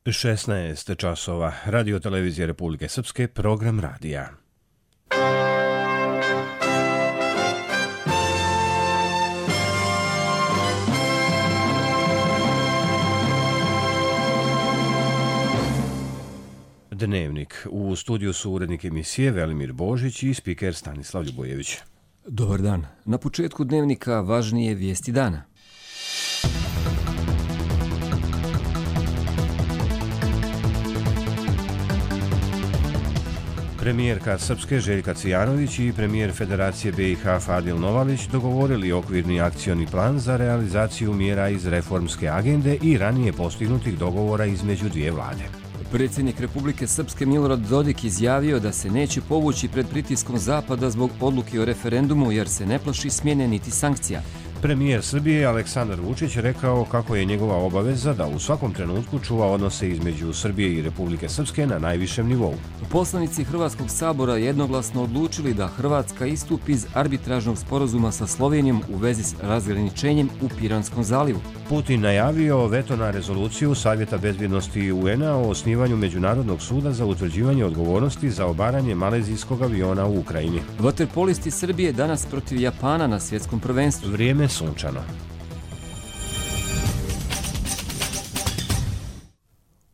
16 časova. Radio televizije Republike Srpske, program radija. Dnevnik. U studiju su urednik emisije Velimir Božić i spiker Stanislav Ljubojević. Dobar dan. Na početku dnevnika važnije vijesti dana. Premijerka Srpske Željka Cvijanović i premijer Federacije BiH Fadil Novalić dogovorili okvirni akcioni plan za realizaciju mjera iz reformske agende i ranije postignutih dogovora između dvije vlade. Predsjednik Republike Srpske Milorad Dodik izjavio da se neće povući pred pritiskom Zapada zbog odluke o referendumu jer se ne plaši smjene niti sankcija. Premijer Srbije Aleksandar Vučić rekao kako je njegova obaveza da u svakom trenutku čuva odnose između Srbije i Republike Srpske na najvišem nivou. Poslanici Hrvatskog sabora jednoglasno odlučili da Hrvatska istupi iz arbitražnog sporazuma sa Slovenijom u vezi s razgraničenjem u Piranskom zalivu. Putin najavio veto na rezoluciju Savjeta bezbjednosti UN-a o osnivanju Međunarodnog suda za utvrđivanje odgovornosti za obaranje malezijskog aviona u Ukrajini. Vaterpolisti Srbije danas protiv Japana na svjetskom prvenstvu. Vrijeme sunčano.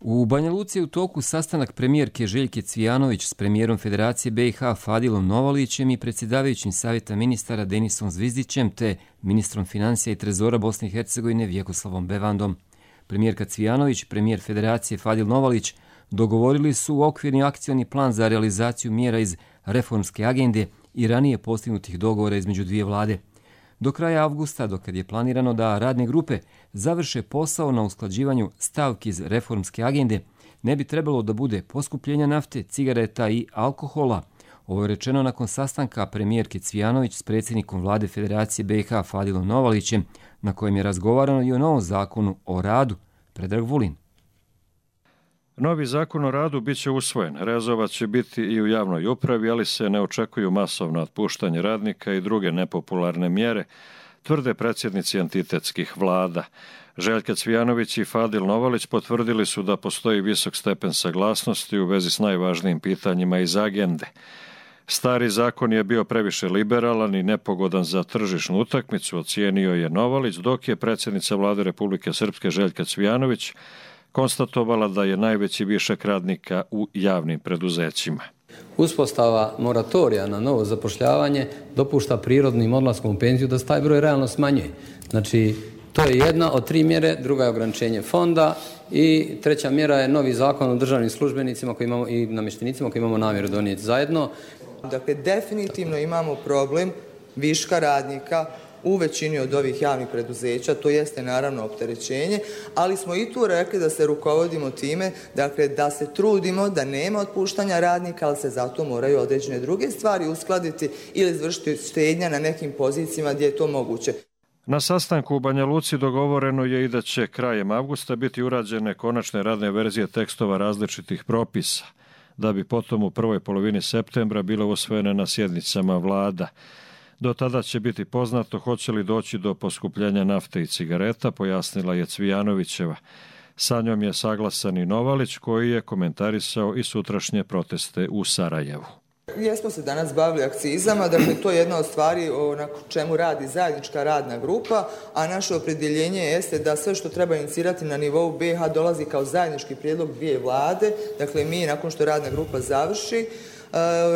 U Banja Luci je u toku sastanak premijerke Željke Cvijanović s premijerom Federacije BiH Fadilom Novalićem i predsjedavajućim savjeta ministara Denisom Zvizdićem te ministrom financija i trezora Bosne i Hercegovine Vjekoslavom Bevandom. Premijerka Cvijanović i premijer Federacije Fadil Novalić dogovorili su okvirni akcioni plan za realizaciju mjera iz reformske agende i ranije postignutih dogovora između dvije vlade. Do kraja avgusta, dokad je planirano da radne grupe završe posao na usklađivanju stavki iz reformske agende, ne bi trebalo da bude poskupljenja nafte, cigareta i alkohola. Ovo je rečeno nakon sastanka premijerke Cvijanović s predsjednikom vlade Federacije BiH Fadilom Novalićem, na kojem je razgovarano i o novom zakonu o radu. Predrag Vulin. Novi zakon o radu bit će usvojen. Rezovat će biti i u javnoj upravi, ali se ne očekuju masovno otpuštanje radnika i druge nepopularne mjere, tvrde predsjednici entitetskih vlada. Željka Cvijanović i Fadil Novalić potvrdili su da postoji visok stepen saglasnosti u vezi s najvažnijim pitanjima iz agende. Stari zakon je bio previše liberalan i nepogodan za tržišnu utakmicu, ocijenio je Novalić, dok je predsjednica vlade Republike Srpske Željka Cvijanović konstatovala da je najveći višak radnika u javnim preduzećima. Uspostava moratorija na novo zapošljavanje dopušta prirodnim odlaskom u penziju da se taj broj realno smanjuje. Znači, to je jedna od 3 mjere, druga je ograničenje fonda i treća mjera je novi zakon o državnim službenicima koji imamo i namještenicima koji imamo namjeru donijeti zajedno. Dakle, definitivno imamo problem viška radnika u većini od ovih javnih preduzeća, to jeste naravno opterećenje, ali smo i tu rekli da se rukovodimo time, dakle da se trudimo da nema otpuštanja radnika, ali se zato moraju određene druge stvari uskladiti ili izvršiti štednja na nekim pozicijama gdje je to moguće. Na sastanku u Banja Luci dogovoreno je i da će krajem avgusta biti urađene konačne radne verzije tekstova različitih propisa, da bi potom u prvoj polovini septembra bile usvojene na sjednicama vlada. Do tada će biti poznato hoće li doći do poskupljenja nafte i cigareta, pojasnila je Cvijanovićeva. Sa njom je saglasan i Novalić koji je komentarisao i sutrašnje proteste u Sarajevu. Jesmo se danas bavili akcizama, dakle to je jedna od stvari na čemu radi zajednička radna grupa, a naše opredjeljenje jeste da sve što treba inicirati na nivou BiH dolazi kao zajednički prijedlog dvije vlade, dakle mi nakon što radna grupa završi,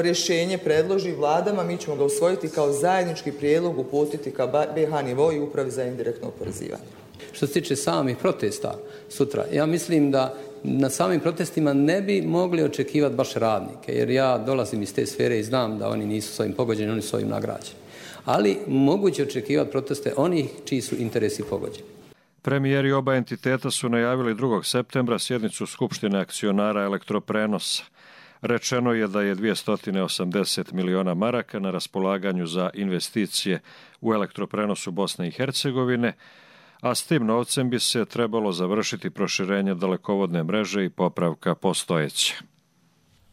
rješenje predloži vladama, mi ćemo ga usvojiti kao zajednički prijedlog, uputiti ka BiH nivou i upravi za indirektno oporezivanje. Što se tiče samih protesta sutra, ja mislim da na samim protestima ne bi mogli očekivati baš radnike, jer ja dolazim iz te sfere i znam da oni nisu s ovim pogođeni, oni su ovim nagrađeni. Ali moguće očekivati proteste onih čiji su interesi pogođeni. Premijeri oba entiteta su najavili 2. septembra sjednicu Skupštine akcionara Elektroprenosa. Rečeno je da je 280 miliona maraka na raspolaganju za investicije u elektroprenosu Bosne i Hercegovine, a s tim novcem bi se trebalo završiti proširenje dalekovodne mreže i popravka postojeće.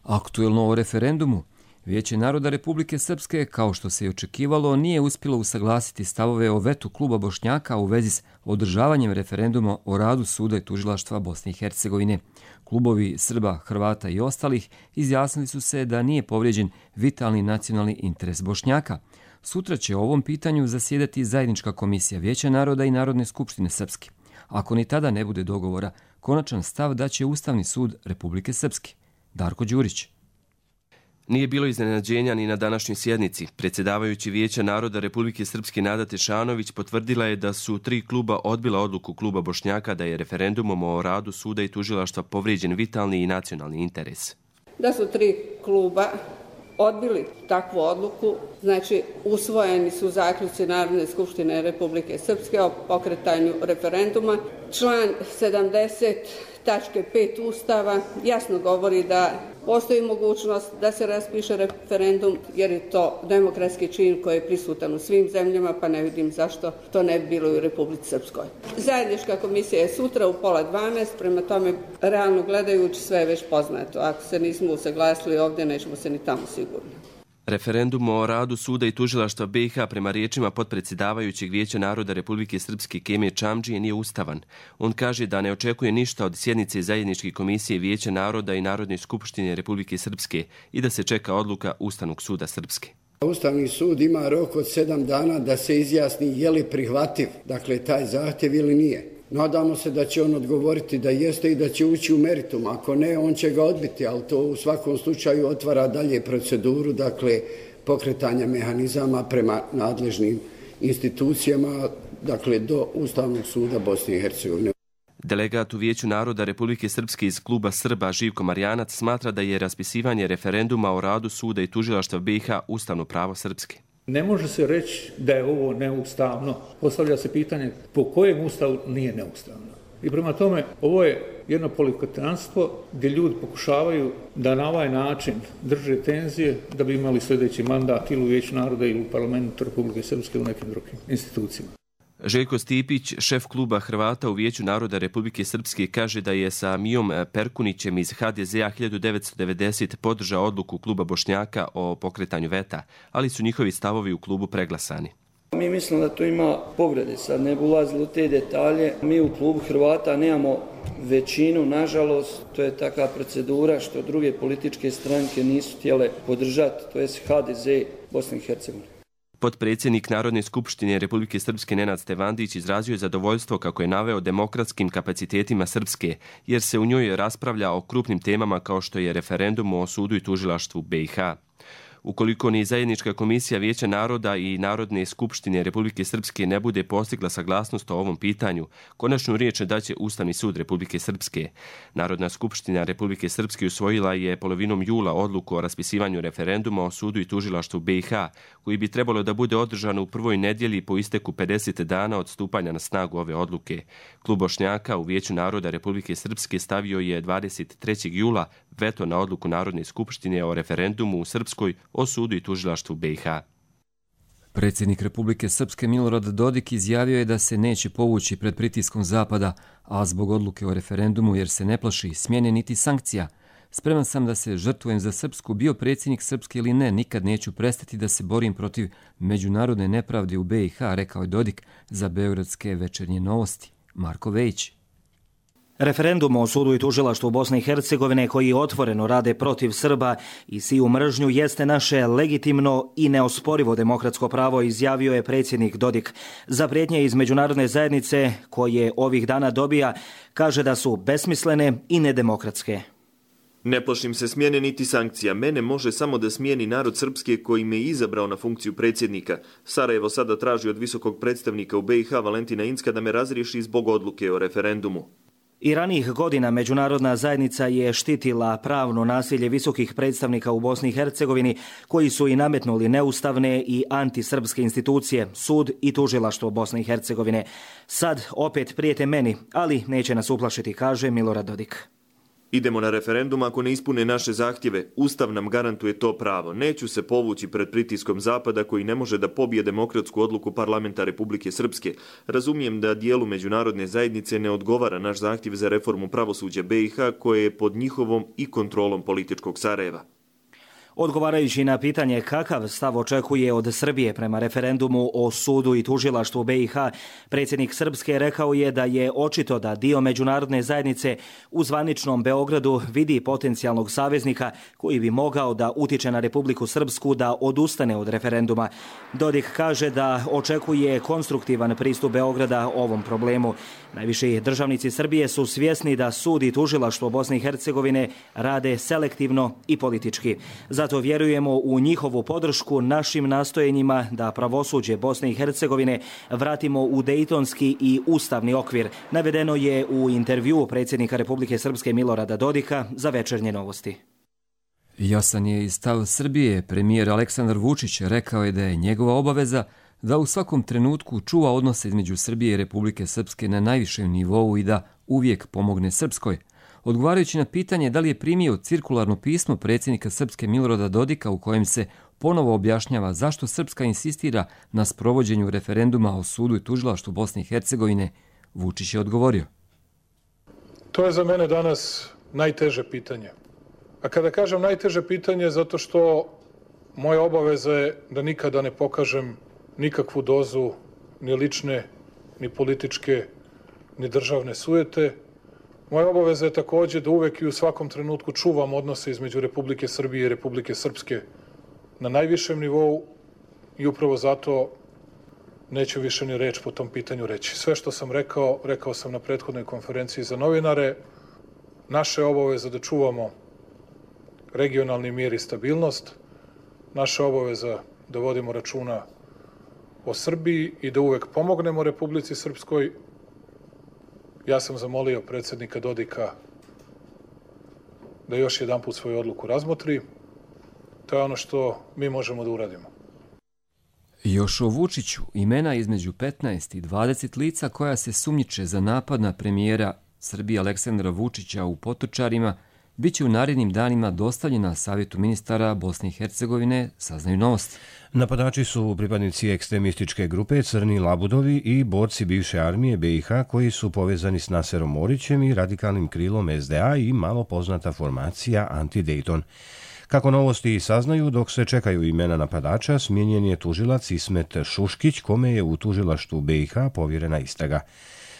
Aktuelno o referendumu. Vijeće naroda Republike Srpske, kao što se i očekivalo, nije uspjelo usaglasiti stavove o vetu kluba Bošnjaka u vezi s održavanjem referenduma o radu suda i tužilaštva Bosne i Hercegovine. Klubovi Srba, Hrvata i ostalih izjasnili su se da nije povrijeđen vitalni nacionalni interes Bošnjaka. Sutra će o ovom pitanju zasjedati zajednička komisija Vijeća naroda i Narodne skupštine Srpske. Ako ni tada ne bude dogovora, konačan stav daće Ustavni sud Republike Srpske. Darko Đurić. Nije bilo iznenađenja ni na današnjoj sjednici. Predsjedavajući Vijeća naroda Republike Srpske Nada Tešanović potvrdila je da su 3 kluba odbila odluku kluba Bošnjaka da je referendumom o radu suda i tužilaštva povrijeđen vitalni i nacionalni interes. Da su 3 kluba odbili takvu odluku, znači usvojeni su zaključci Narodne skupštine Republike Srpske o pokretanju referenduma. Član 70 tačke 5 Ustava jasno govori da postoji mogućnost da se raspiše referendum jer je to demokratski čin koji je prisutan u svim zemljama, pa ne vidim zašto to ne bi bilo i u Republici Srpskoj. Zajednička komisija je sutra u 11:30, prema tome realno gledajući sve je već poznato. Ako se nismo usaglasili ovdje, nećemo se ni tamo sigurno. Referendum o radu suda i tužilaštva BiH prema riječima potpredsjedavajućeg Vijeća naroda Republike Srpske Kemije Čamdžije nije ustavan. On kaže da ne očekuje ništa od sjednice zajedničke komisije Vijeća naroda i Narodne skupštine Republike Srpske i da se čeka odluka Ustavnog suda Srpske. Ustavni sud ima rok od 7 dana da se izjasni je li prihvativ, dakle taj zahtjev ili nije. Nadamo se da će on odgovoriti da jeste i da će ući u meritum. Ako ne, on će ga odbiti, ali to u svakom slučaju otvara dalje proceduru, dakle pokretanja mehanizama prema nadležnim institucijama, dakle do Ustavnog suda Bosne i Hercegovine. Delegat u Vijeću naroda Republike Srpske iz kluba Srba Živko Marjanac smatra da je raspisivanje referenduma o radu suda i tužilaštva BiH ustavno pravo Srpske. Ne može se reći da je ovo neustavno. Postavlja se pitanje po kojem ustavu nije neustavno. I prema tome, ovo je jedno politikantstvo gdje ljudi pokušavaju da na ovaj način drže tenzije da bi imali sljedeći mandat ili u Vijeću naroda ili u parlamentu Republike Srpske u nekim drugim institucijama. Željko Stipić, šef kluba Hrvata u Vijeću naroda Republike Srpske, kaže da je sa Mijom Perkunićem iz HDZ-a 1990 podržao odluku kluba Bošnjaka o pokretanju veta, ali su njihovi stavovi u klubu preglasani. Mi mislimo da to ima povrede, sad ne bi ulazili u te detalje. Mi u klubu Hrvata nemamo većinu, nažalost, to je takva procedura što druge političke stranke nisu htjele podržati, to je HDZ Bosne i Hercegovine. Potpredsjednik Narodne skupštine Republike Srpske Nenad Stevandić izrazio je zadovoljstvo, kako je naveo, demokratskim kapacitetima Srpske, jer se u njoj raspravlja o krupnim temama kao što je referendum o sudu i tužilaštvu BiH. Ukoliko ni zajednička komisija Vijeća naroda i Narodne skupštine Republike Srpske ne bude postigla saglasnost o ovom pitanju, konačnu riječ daće Ustavni sud Republike Srpske. Narodna skupština Republike Srpske usvojila je polovinom jula odluku o raspisivanju referenduma o sudu i tužilaštvu BiH, koji bi trebalo da bude održan u prvoj nedjelji po isteku 50 dana od stupanja na snagu ove odluke. Klub Bošnjaka u Vijeću naroda Republike Srpske stavio je 23. jula veto na odluku Narodne skupštine o referendumu u Srpskoj o sudu i tužilaštvu BiH. Predsjednik Republike Srpske Milorad Dodik izjavio je da se neće povući pred pritiskom Zapada, a zbog odluke o referendumu jer se ne plaši smjene niti sankcija. Spreman sam da se žrtvujem za Srpsku, bio predsjednik Srpske ili ne, nikad neću prestati da se borim protiv međunarodne nepravde u BiH, rekao je Dodik za Beogradske večernje novosti. Marko Vejić. Referendum o sudu i tužilaštvu Bosne i Hercegovine koji otvoreno rade protiv Srba i siju mržnju jeste naše legitimno i neosporivo demokratsko pravo, izjavio je predsjednik Dodik. Za prijetnje iz međunarodne zajednice koje ovih dana dobija, kaže da su besmislene i nedemokratske. Ne plašim se smjene niti sankcija. Mene može samo da smijeni narod Srpske koji me izabrao na funkciju predsjednika. Sarajevo sada traži od visokog predstavnika u BiH Valentina Incka da me razriješi zbog odluke o referendumu. I ranijih godina međunarodna zajednica je štitila pravno nasilje visokih predstavnika u Bosni i Hercegovini koji su i nametnuli neustavne i antisrpske institucije, sud i tužilaštvo Bosne i Hercegovine. Sad opet prijete meni, ali neće nas uplašiti, kaže Milorad Dodik. Idemo na referendum ako ne ispune naše zahtjeve. Ustav nam garantuje to pravo. Neću se povući pred pritiskom Zapada koji ne može da pobije demokratsku odluku parlamenta Republike Srpske. Razumijem da dijelu međunarodne zajednice ne odgovara naš zahtjev za reformu pravosuđa BiH koje je pod njihovom i kontrolom političkog Sarajeva. Odgovarajući na pitanje kakav stav očekuje od Srbije prema referendumu o sudu i tužilaštvu BiH, predsjednik Srpske rekao je da je očito da dio međunarodne zajednice u zvaničnom Beogradu vidi potencijalnog saveznika koji bi mogao da utiče na Republiku Srpsku da odustane od referenduma. Dodik kaže da očekuje konstruktivan pristup Beograda ovom problemu. Najviši državnici Srbije su svjesni da sud i tužilaštvo Bosne i Hercegovine rade selektivno i politički. Zato vjerujemo u njihovu podršku našim nastojenjima da pravosuđe Bosne i Hercegovine vratimo u dejtonski i ustavni okvir. Navedeno je u intervjuu predsjednika Republike Srpske Milorada Dodika za Večernje novosti. Jasan je i stav Srbije. Premijer Aleksandar Vučić rekao je da je njegova obaveza da u svakom trenutku čuva odnose između Srbije i Republike Srpske na najvišem nivou i da uvijek pomogne Srpskoj. Odgovarajući na pitanje da li je primio cirkularno pismo predsjednika Srpske Milorada Dodika u kojem se ponovo objašnjava zašto Srpska insistira na sprovođenju referenduma o sudu i tužilaštvu Bosne i Hercegovine, Vučić je odgovorio. To je za mene danas najteže pitanje. A kada kažem najteže pitanje, zato što moja obaveza je da nikada ne pokažem nikakvu dozu ni lične, ni političke, ni državne sujete. Moja obaveza je također da uvek i u svakom trenutku čuvam odnose između Republike Srbije i Republike Srpske na najvišem nivou i upravo zato neću više ni reč po tom pitanju reći. Sve što sam rekao, rekao sam na prethodnoj konferenciji za novinare. Naša je obaveza da čuvamo regionalni mir i stabilnost. Naša obaveza da vodimo računa o Srbiji i da uvek pomognemo Republici Srpskoj. Ja sam zamolio predsjednika Dodika da još jedanput svoju odluku razmotri. To je ono što mi možemo da uradimo. Još o Vučiću, imena između 15 i 20 lica koja se sumnjiče za napad na premijera Srbije Aleksandra Vučića u Potočarima, bit će u narednim danima dostavljena Savjetu ministara Bosne i Hercegovine, saznaju Novosti. Napadači su pripadnici ekstremističke grupe Crni Labudovi i borci bivše armije BiH koji su povezani s Naserom Orićem i radikalnim krilom SDA i malo poznata formacija Anti-Dayton. Kako Novosti saznaju, dok se čekaju imena napadača, smijenjen je tužilac Ismet Šuškić, kome je u tužilaštvu BiH povjerena istraga.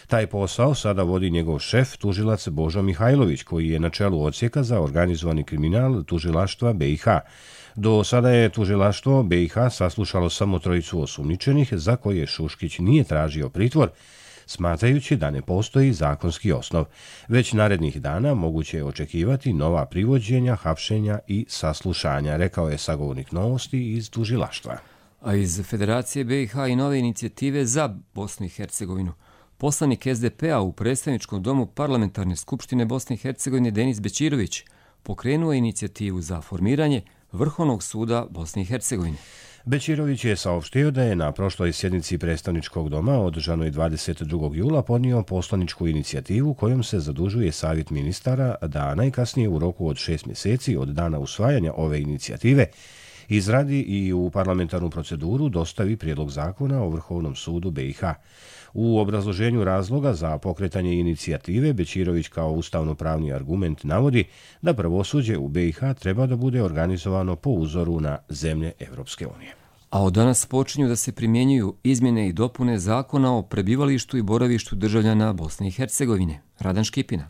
Taj posao sada vodi njegov šef, tužilac Božo Mihajlović, koji je na čelu odsjeka za organizovani kriminal tužilaštva BiH. Do sada je tužilaštvo BiH saslušalo samo 3 osumnjičenih za koje Šuškić nije tražio pritvor, smatrajući da ne postoji zakonski osnov. Već narednih dana moguće je očekivati nova privođenja, hapšenja i saslušanja, rekao je sagovornik Novosti iz tužilaštva. A iz Federacije BiH i nove inicijative za Bosnu i Hercegovinu. Poslanik SDP-a u predstavničkom domu Parlamentarne skupštine Bosne i Hercegovine Denis Bećirović pokrenuo je inicijativu za formiranje Vrhovnog suda Bosne i Hercegovine. Bećirović je saopštio da je na prošloj sjednici predstavničkog doma održanoj 22. jula podnio poslaničku inicijativu kojom se zadužuje Savjet ministara da najkasnije u roku od 6 mjeseci od dana usvajanja ove inicijative izradi i u parlamentarnu proceduru dostavi prijedlog zakona o Vrhovnom sudu BiH. U obrazloženju razloga za pokretanje inicijative Bećirović kao ustavno-pravni argument navodi da pravosuđe u BiH treba da bude organizovano po uzoru na zemlje Evropske unije. A od danas počinju da se primjenjuju izmjene i dopune zakona o prebivalištu i boravištu državljana Bosne i Hercegovine. Radan Škipina.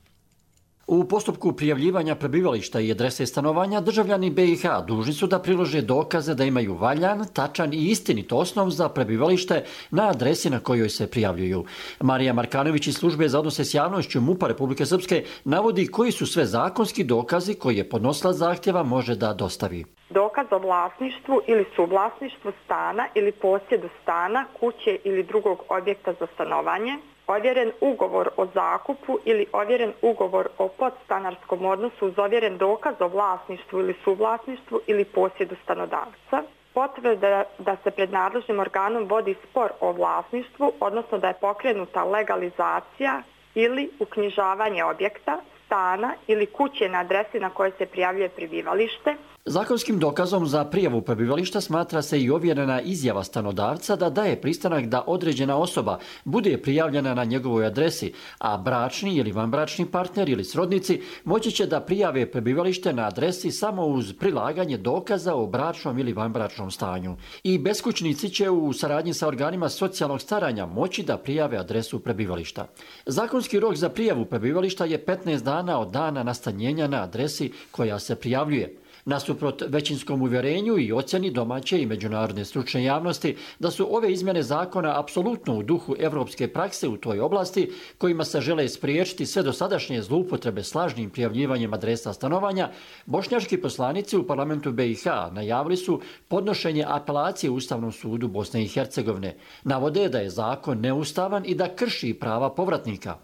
U postupku prijavljivanja prebivališta i adrese stanovanja državljani BiH dužni su da prilože dokaze da imaju valjan, tačan i istinit osnov za prebivalište na adresi na kojoj se prijavljuju. Marija Markanović iz službe za odnose s javnošću MUP-a Republike Srpske navodi koji su sve zakonski dokazi koje podnosilac zahtjeva može da dostavi. Dokaz o vlasništvu ili suvlasništvu stana ili posjedu stana, kuće ili drugog objekta za stanovanje, ovjeren ugovor o zakupu ili ovjeren ugovor o podstanarskom odnosu uz ovjeren dokaz o vlasništvu ili suvlasništvu ili posjedu stanodavca, potvrda da se pred nadležnim organom vodi spor o vlasništvu, odnosno da je pokrenuta legalizacija ili uknjižavanje objekta, stana ili kuće na adresi na kojoj se prijavljuje prebivalište, Zakonskim dokazom za prijavu prebivališta smatra se i ovjerena izjava stanodavca da daje pristanak da određena osoba bude prijavljena na njegovoj adresi, a bračni ili vanbračni partner ili srodnici moći će da prijave prebivalište na adresi samo uz prilaganje dokaza o bračnom ili vanbračnom stanju. I beskućnici će u saradnji sa organima socijalnog staranja moći da prijave adresu prebivališta. Zakonski rok za prijavu prebivališta je 15 dana od dana nastanjenja na adresi koja se prijavljuje. Nasuprot većinskom uvjerenju i ocjeni domaće i međunarodne stručne javnosti da su ove izmjene zakona apsolutno u duhu evropske prakse u toj oblasti, kojima se žele spriječiti sve dosadašnje zloupotrebe s lažnim prijavljivanjem adresa stanovanja, bošnjački poslanici u parlamentu BiH najavili su podnošenje apelacije Ustavnom sudu Bosne i Hercegovine. Navode da je zakon neustavan i da krši prava povratnika.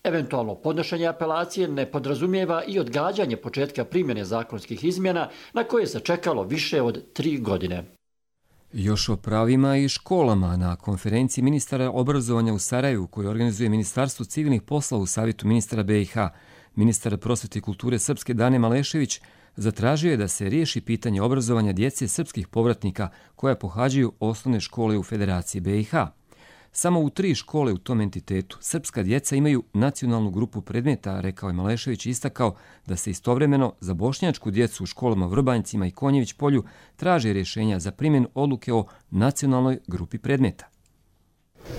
Eventualno podnošenje apelacije ne podrazumijeva i odgađanje početka primjene zakonskih izmjena na koje se čekalo više od 3 godine. Još o pravima i školama na konferenciji ministara obrazovanja u Sarajevu koju organizuje Ministarstvo civilnih poslova u Savjetu ministara BiH, ministar prosvete i kulture Srpske Dane Malešević zatražio je da se riješi pitanje obrazovanja djece srpskih povratnika koja pohađaju osnovne škole u Federaciji BiH. Samo u 3 škole u tom entitetu srpska djeca imaju nacionalnu grupu predmeta, rekao je Malešević i istakao da se istovremeno za bošnjačku djecu u školama Vrbanjcima i Konjević polju traže rješenja za primjenu odluke o nacionalnoj grupi predmeta.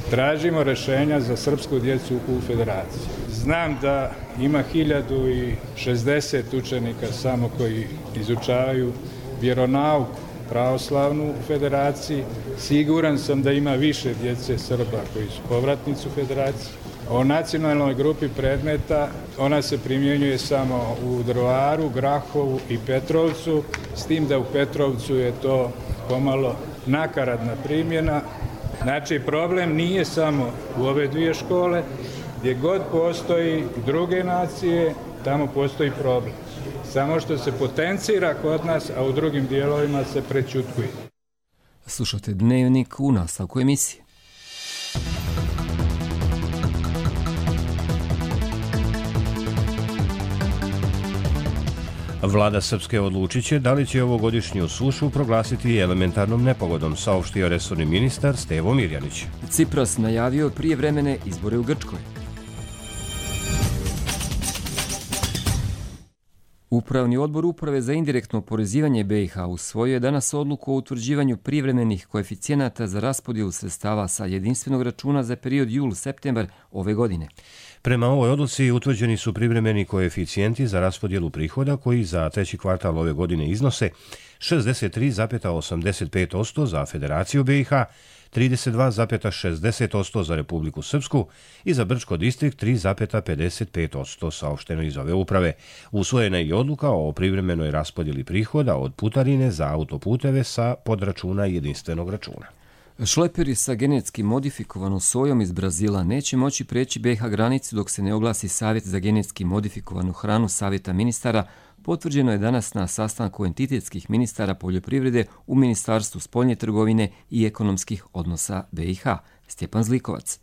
Tražimo rješenja za srpsku djecu u Federaciji. Znam da ima 1060 učenika samo koji izučavaju vjeronauku pravoslavnu u Federaciji. Siguran sam da ima više djece Srba koji su povratnici u Federaciji. O nacionalnoj grupi predmeta ona se primjenjuje samo u Drvaru, Grahovu i Petrovcu, s tim da u Petrovcu je to pomalo nakaradna primjena. Znači, problem nije samo u ove 2 škole, gdje god postoji druge nacije, tamo postoji problem. Samo što se potencira kod nas, a u drugim dijelovima se prečutkuje. Slušate Dnevnik u nastavku emisije. Vlada Srpske odlučit će da li će ovogodišnju sušu proglasiti elementarnom nepogodom, saopštio resorni ministar Stevo Mirjanić. Cipras najavio prijevremene izbore u Grčkoj. Upravni odbor Uprave za indirektno oporezivanje BiH usvojio je danas odluku o utvrđivanju privremenih koeficijenata za raspodjelu sredstava sa jedinstvenog računa za period jul-septembar ove godine. Prema ovoj odluci utvrđeni su privremeni koeficijenti za raspodjelu prihoda koji za 3. kvartal ove godine iznose 63,85% za Federaciju BiH, 32,60% za Republiku Srpsku i za Brčko distrikt 3,55%, saopšteno iz ove uprave. Usvojena je i odluka o privremenoj raspodjeli prihoda od putarine za autoputeve sa podračuna jedinstvenog računa. Šleperi sa genetski modifikovanom sojom iz Brazila neće moći preći BiH granicu dok se ne oglasi Savjet za genetski modifikovanu hranu Savjeta ministara, potvrđeno je danas na sastanku entitetskih ministara poljoprivrede u Ministarstvu spoljne trgovine i ekonomskih odnosa BiH. Stjepan Zlikovac.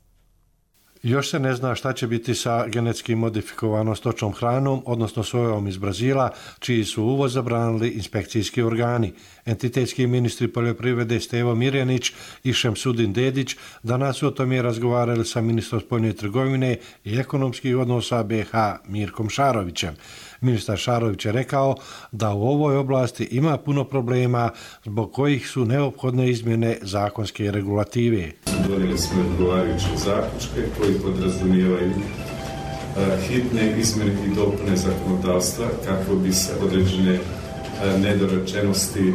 Još se ne zna šta će biti sa genetski modifikovanom stočnom hranom, odnosno sojom iz Brazila, čiji su uvoz zabranili inspekcijski organi. Entitetski ministri poljoprivrede Stevo Mirjanić i Šemsudin Dedić danas su o tome razgovarali sa ministrom spoljne trgovine i ekonomskih odnosa BiH Mirkom Šarovićem. Ministar Šarović je rekao da u ovoj oblasti ima puno problema zbog kojih su neophodne izmjene zakonske regulative. Donijeli smo odgovarajuće zaključke koji podrazumijevaju hitne izmjene i dopune zakonodavstva kako bi se određene nedorečenosti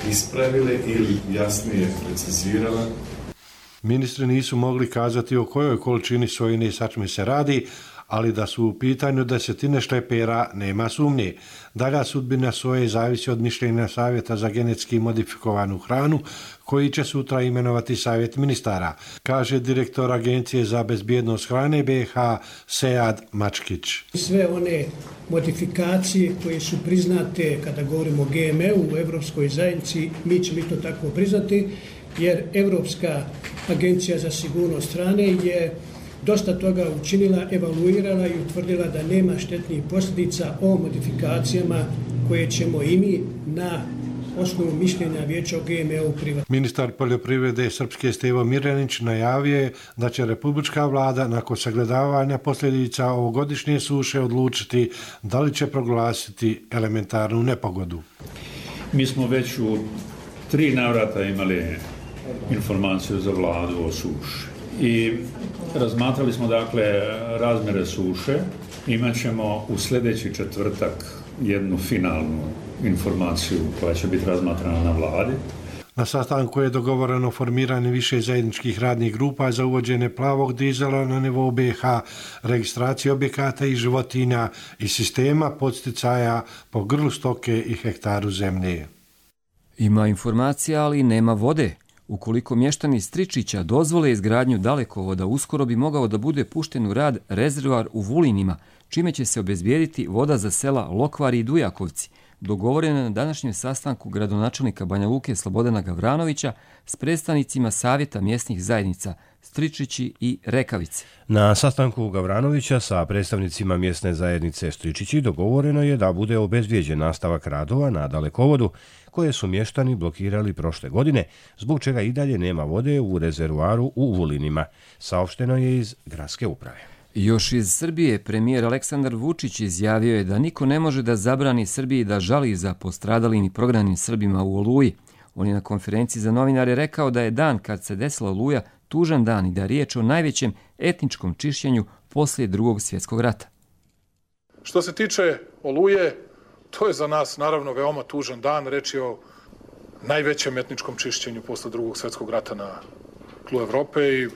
ispravile ili jasnije precizirale. Ministri nisu mogli kazati o kojoj količini sojine sačme se radi, ali da su u pitanju desetine šlepera nema sumnje. Dalja sudbina soje zavisi od mišljenja Savjeta za genetski modifikovanu hranu, koji će sutra imenovati Savjet ministara, kaže direktor Agencije za bezbjednost hrane BiH Sead Mačkić. Sve one modifikacije koje su priznate kada govorimo o GMO u Evropskoj zajednici, mi ćemo to tako priznati, jer Evropska agencija za sigurnost hrane je dosta toga učinila, evaluirala i utvrdila da nema štetnih posljedica o modifikacijama koje ćemo i mi na osnovu mišljenja Vijeća o GMO prihvatiti. Ministar poljoprivrede Srpske Stevo Mirjanić najavio je da će republička vlada nakon sagledavanja posljedica ovogodišnje suše odlučiti da li će proglasiti elementarnu nepogodu. Mi smo već u 3 navrata imali informaciju za vladu o suši i razmatrali smo dakle razmjere suše. Imaćemo u sljedeći četvrtak jednu finalnu informaciju koja će biti razmatrana na vladi. Na sastanku je dogovoreno formiranje više zajedničkih radnih grupa za uvođenje plavog dizela na nivou BiH, registracije objekata i životinja i sistema podsticaja po grlu stoke i hektaru zemlje. Ima informacija, ali nema vode. Ukoliko mještani iz Stričića dozvole izgradnju dalekovoda, uskoro bi mogao da bude pušten u rad rezervoar u Vulinima, čime će se obezbijediti voda za sela Lokvari i Dujakovci, dogovoreno na današnjem sastanku gradonačelnika Banja Luke Slobodana Gavranovića s predstavnicima Savjeta mjesnih zajednica Stričići i Rekavice. Na sastanku Gavranovića sa predstavnicima mjesne zajednice Stričići dogovoreno je da bude obezbijeđen nastavak radova na dalekovodu koje su mještani blokirali prošle godine, zbog čega i dalje nema vode u rezervoaru u Vulinima, saopšteno je iz gradske uprave. Još iz Srbije premijer Aleksandar Vučić izjavio je da niko ne može da zabrani Srbiji da žali za postradalim i prognanim Srbima u Oluji. On je na konferenciji za novinare rekao da je dan kad se desila Oluja tužan dan i da je riječ o najvećem etničkom čišćenju poslije Drugog svjetskog rata. Što se tiče Oluje, to je za nas naravno veoma tužan dan. Reč je o najvećem etničkom čišćenju posle Drugog svjetskog rata na tlu Evrope i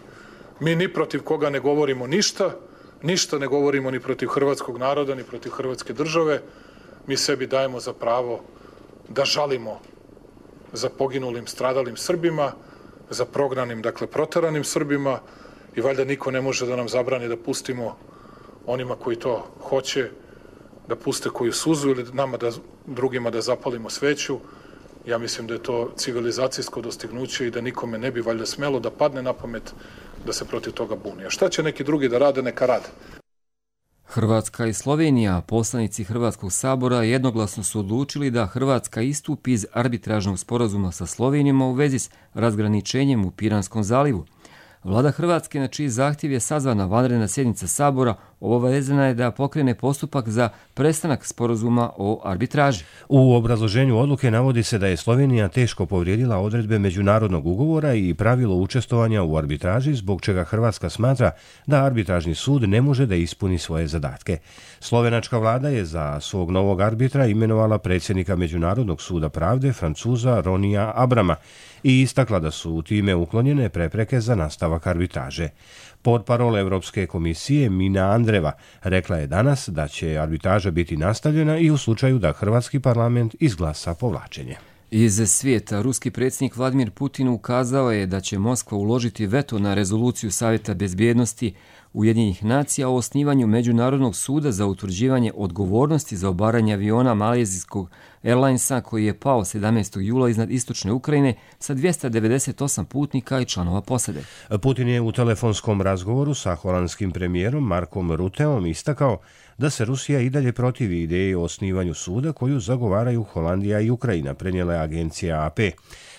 mi ni protiv koga ne govorimo ništa ne govorimo ni protiv hrvatskog naroda, ni protiv hrvatske države. Mi sebi dajemo za pravo da žalimo za poginulim, stradalim Srbima, za prognanim, dakle proteranim Srbima i valjda niko ne može da nam zabrani da pustimo onima koji to hoće, da puste koju suzu ili nama drugima da zapalimo sveću. Ja mislim da je to civilizacijsko dostignuće i da nikome ne bi valjda smelo da padne na pamet da se protiv toga buni. A šta će neki drugi da rade, neka rade. Hrvatska i Slovenija, poslanici Hrvatskog sabora, jednoglasno su odlučili da Hrvatska istupi iz arbitražnog sporazuma sa Slovenijom u vezi s razgraničenjem u Piranskom zalivu. Vlada Hrvatske, na čiji zahtjev je sazvana vanredna sjednica sabora, obavezana je da pokrene postupak za prestanak sporazuma o arbitraži. U obrazloženju odluke navodi se da je Slovenija teško povrijedila odredbe međunarodnog ugovora i pravilo učestvovanja u arbitraži, zbog čega Hrvatska smatra da arbitražni sud ne može da ispuni svoje zadatke. Slovenačka vlada je za svog novog arbitra imenovala predsjednika Međunarodnog suda pravde, Francuza Ronija Abrama, i istakla da su time uklonjene prepreke za nastavak arbitraže. Portparol Evropske komisije Mina Andreva rekla je danas da će arbitraža biti nastavljena i u slučaju da Hrvatski parlament izglasa povlačenje. Iz svijeta, ruski predsjednik Vladimir Putin ukazao je da će Moskva uložiti veto na rezoluciju Savjeta bezbjednosti Ujedinjenih nacija o osnivanju Međunarodnog suda za utvrđivanje odgovornosti za obaranje aviona malezijskog Airlinesa koji je pao 17. jula iznad istočne Ukrajine sa 298 putnika i članova posade. Putin je u telefonskom razgovoru sa holandskim premijerom Markom Rutteom istakao da se Rusija i dalje protivi ideji o osnivanju suda koju zagovaraju Holandija i Ukrajina, prenijela je agencija AP.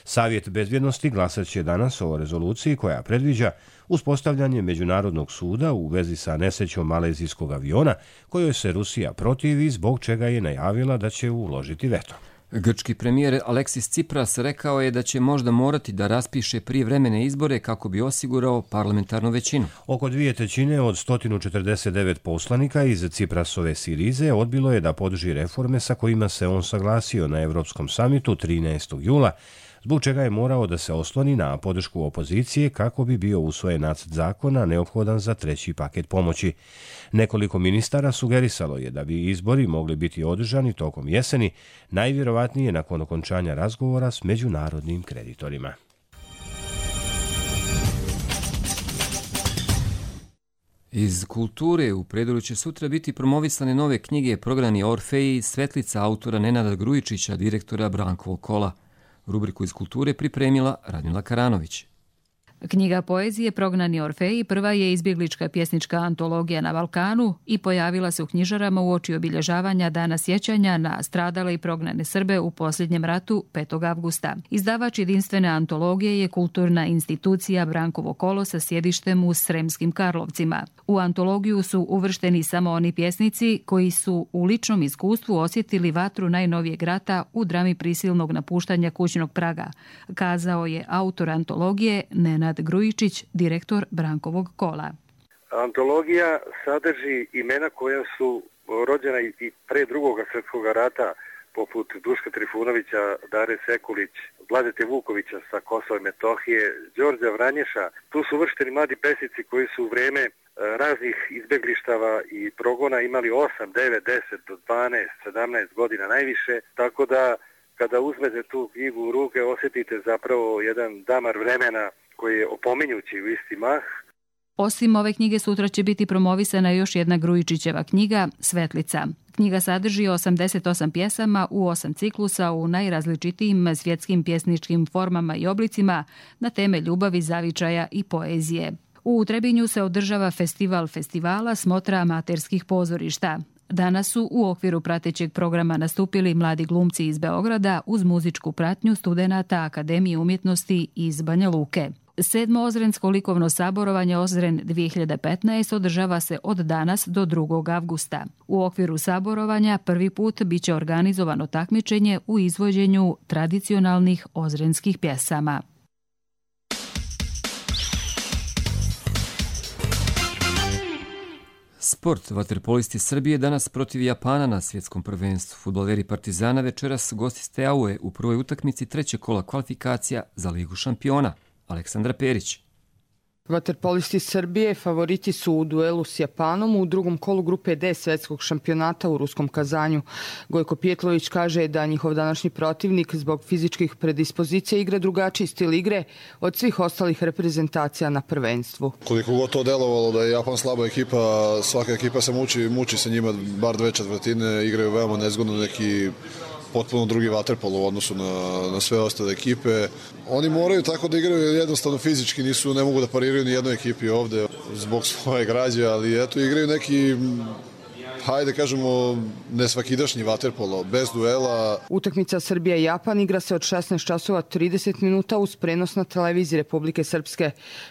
Savjet bezbjednosti glasat će danas o rezoluciji koja predviđa uspostavljanje Međunarodnog suda u vezi sa nesrećom malezijskog aviona, kojoj se Rusija protivi, zbog čega je najavila da će uložiti veto. Grčki premijer Aleksis Tsipras rekao je da će možda morati da raspiše prijevremene izbore kako bi osigurao parlamentarnu većinu. Oko 2/3 od 149 poslanika iz Tsiprasove Sirize odbilo je da podrži reforme sa kojima se on saglasio na Evropskom samitu 13. jula, zbog čega je morao da se osloni na podršku opozicije kako bi bio usvojen nacrt zakona neophodan za 3. paket pomoći. Nekoliko ministara sugerisalo je da bi izbori mogli biti održani tokom jeseni, najvjerovatnije nakon okončanja razgovora s međunarodnim kreditorima. Iz kulture u Predoru će sutra biti promovisane nove knjige Prognani Orfeji, Svetlica autora Nenada Grujičića, direktora Brankovog kola. Rubriku iz kulture pripremila Radmila Karanović. Knjiga poezije Prognani Orfeji prva je izbjeglička pjesnička antologija na Balkanu i pojavila se u knjižarama uoči obilježavanja Dana sjećanja na stradale i prognane Srbe u posljednjem ratu 5. avgusta. Izdavač jedinstvene antologije je kulturna institucija Brankovo kolo sa sjedištem u Sremskim Karlovcima. U antologiju su uvršteni samo oni pjesnici koji su u ličnom iskustvu osjetili vatru najnovijeg rata u drami prisilnog napuštanja kućnog praga, kazao je autor antologije Nenad Grujičić, direktor Brankovog kola. Antologija sadrži imena koja su rođena i pre drugog svjetskog rata, poput Duška Trifunovića, Dare Sekulić, Vladete Vukovića sa Kosova i Metohije, Đorđa Vranješa. Tu su uvršteni mladi pesnici koji su u vrijeme raznih izbjeglištava i progona imali 8, 9, 10 do 12, 17 godina najviše, tako da kada uzmete tu knjigu u ruke osjetite zapravo jedan damar vremena koji je opominjući u isti mah. Osim ove knjige sutra će biti promovisana još jedna Grujičićeva knjiga Svetlica. Knjiga sadrži 88 pjesama u 8 ciklusa u najrazličitijim svjetskim pjesničkim formama i oblicima na teme ljubavi, zavičaja i poezije. U Trebinju se održava festival festivala Smotra amaterskih pozorišta. Danas su u okviru pratećeg programa nastupili mladi glumci iz Beograda uz muzičku pratnju studenata Akademije umjetnosti iz Banja Luke. 7. Ozrensko likovno saborovanje Ozren 2015 održava se od danas do 2. avgusta. U okviru saborovanja prvi put biće organizovano takmičenje u izvođenju tradicionalnih ozrenskih pjesama. Sport. Vaterpolisti Srbije danas protiv Japana na svjetskom prvenstvu. Fudbaleri Partizana večeras gosti Steaue u prvoj utakmici trećeg kola kvalifikacija za Ligu šampiona. Aleksandra Perić. Vaterpolisti Srbije favoriti su u duelu s Japanom u drugom kolu grupe D svjetskog šampionata u ruskom Kazanju. Gojko Pijetlović kaže da njihov današnji protivnik zbog fizičkih predispozicija igra drugačiji stil igre od svih ostalih reprezentacija na prvenstvu. Koliko god to delovalo da je Japan slaba ekipa, svaka ekipa se muči sa njima, bar 2/4 igraju veoma nezgodno, neki potpuno drugi vaterpol u odnosu na sve ostale ekipe. Oni moraju tako da igraju jednostavno fizički, ne mogu da pariraju ni jednoj ekipi ovde zbog svoje građe, ali eto igraju neki, hajde kažemo, nesvakidašnji vaterpolo, bez duela. Utakmica Srbija-Japan igra se od 16:30 minuta uz prenos na televiziji Republike Srpske.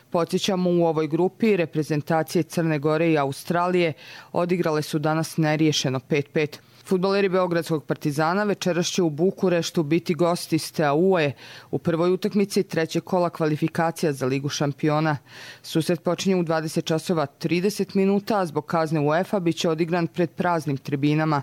Podsjećamo, u ovoj grupi reprezentacije Crne Gore i Australije odigrale su danas neriješeno 5-5. Fudbaleri Beogradskog Partizana večeras će u Bukureštu biti gosti Steaue u prvoj utakmici trećeg kola kvalifikacija za Ligu šampiona. Susret počinje u 20:30 minuta, a zbog kazne UEFA biće odigran pred praznim tribinama.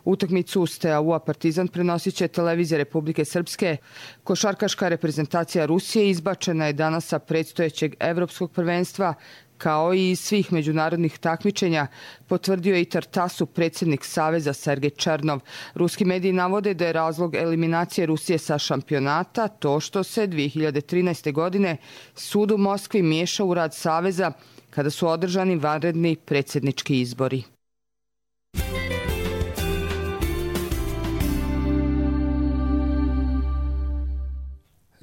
Utakmicu Steaua Partizan prenosit će televizija Republike Srpske. Košarkaška reprezentacija Rusije izbačena je danas sa predstojećeg evropskog prvenstva, kao i svih međunarodnih takmičenja, potvrdio je i Tartasu predsjednik Saveza Sergej Černov. Ruski mediji navode da je razlog eliminacije Rusije sa šampionata to što se 2013. godine sud u Moskvi miješao u rad Saveza kada su održani vanredni predsjednički izbori.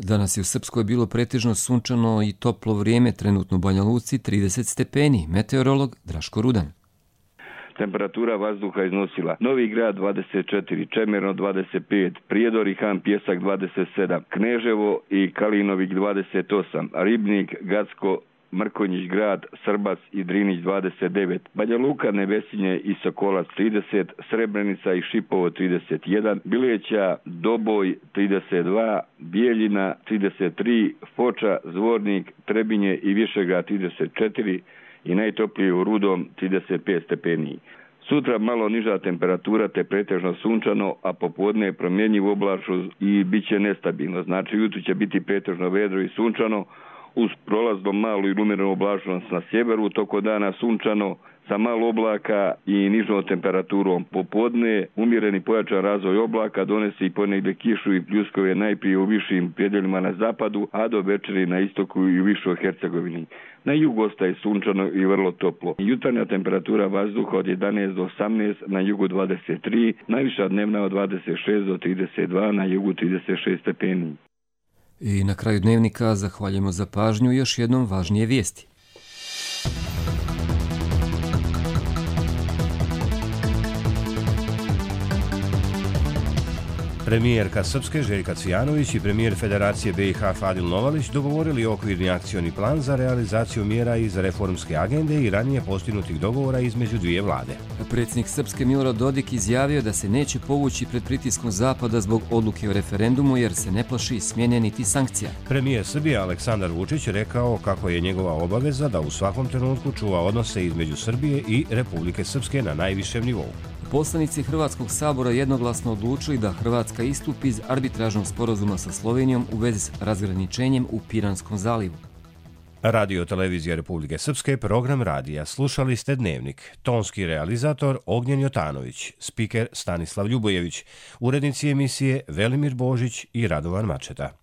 Danas je u Srpskoj bilo pretežno sunčano i toplo vrijeme, trenutno u Banja Luci 30 stepeni. Meteorolog Draško Rudan. Temperatura vazduha iznosila Novi Grad 24, Čemerno 25, Prijedor i Han Pjesak 27, Kneževo i Kalinovik 28, Ribnik, Gacko, Mrkonjić Grad, Srbac i Drinić 29, Banja Luka, Nevesinje i Sokolac 30, Srebrenica i Šipovo 31, Bileća, Doboj 32, Bijeljina 33, Foča, Zvornik, Trebinje i Višegrad 34 i najtoplije u Rudom 35 stepeni. Sutra malo niža temperatura te pretežno sunčano, a popodne je promjenjiv oblačno i bit će nestabilno. Znači jutro će biti pretežno vedro i sunčano, uz prolazno malu i umjerenu oblačnost na sjeveru, toko dana sunčano sa malo oblaka i nižom temperaturom. Popodne umjereni pojačan razvoj oblaka donese i ponegdje kišu i pljuskove najprije u višim predjelima na zapadu, a do večeri na istoku i u višoj Hercegovini. Na jugu ostaje sunčano i vrlo toplo. Jutarnja temperatura vazduha od 11 do 18, na jugu 23, najviša dnevna od 26 do 32, na jugu 36 stepeni. I na kraju dnevnika zahvaljujemo za pažnju i još jednom važnije vijesti. Premijerka Srpske Željka Cvijanović i premijer Federacije BiH Fadil Novalić dogovorili okvirni akcioni plan za realizaciju mjera iz reformske agende i ranije postignutih dogovora između dvije vlade. Predsjednik Srpske Milorad Dodik izjavio da se neće povući pred pritiskom Zapada zbog odluke o referendumu jer se ne plaši smjene niti sankcija. Premijer Srbije Aleksandar Vučić rekao kako je njegova obaveza da u svakom trenutku čuva odnose između Srbije i Republike Srpske na najvišem nivou. Poslanici Hrvatskog sabora jednoglasno odlučili da Hrvatska istupi iz arbitražnog sporazuma sa Slovenijom u vezi s razgraničenjem u Piranskom zalivu. Radio Televizija Republike Srpske, program radija. Slušali ste Dnevnik. Tonski realizator Ognjen Jotanović, spiker Stanislav Ljubojević, urednici emisije Velimir Božić i Radovan Mačeta.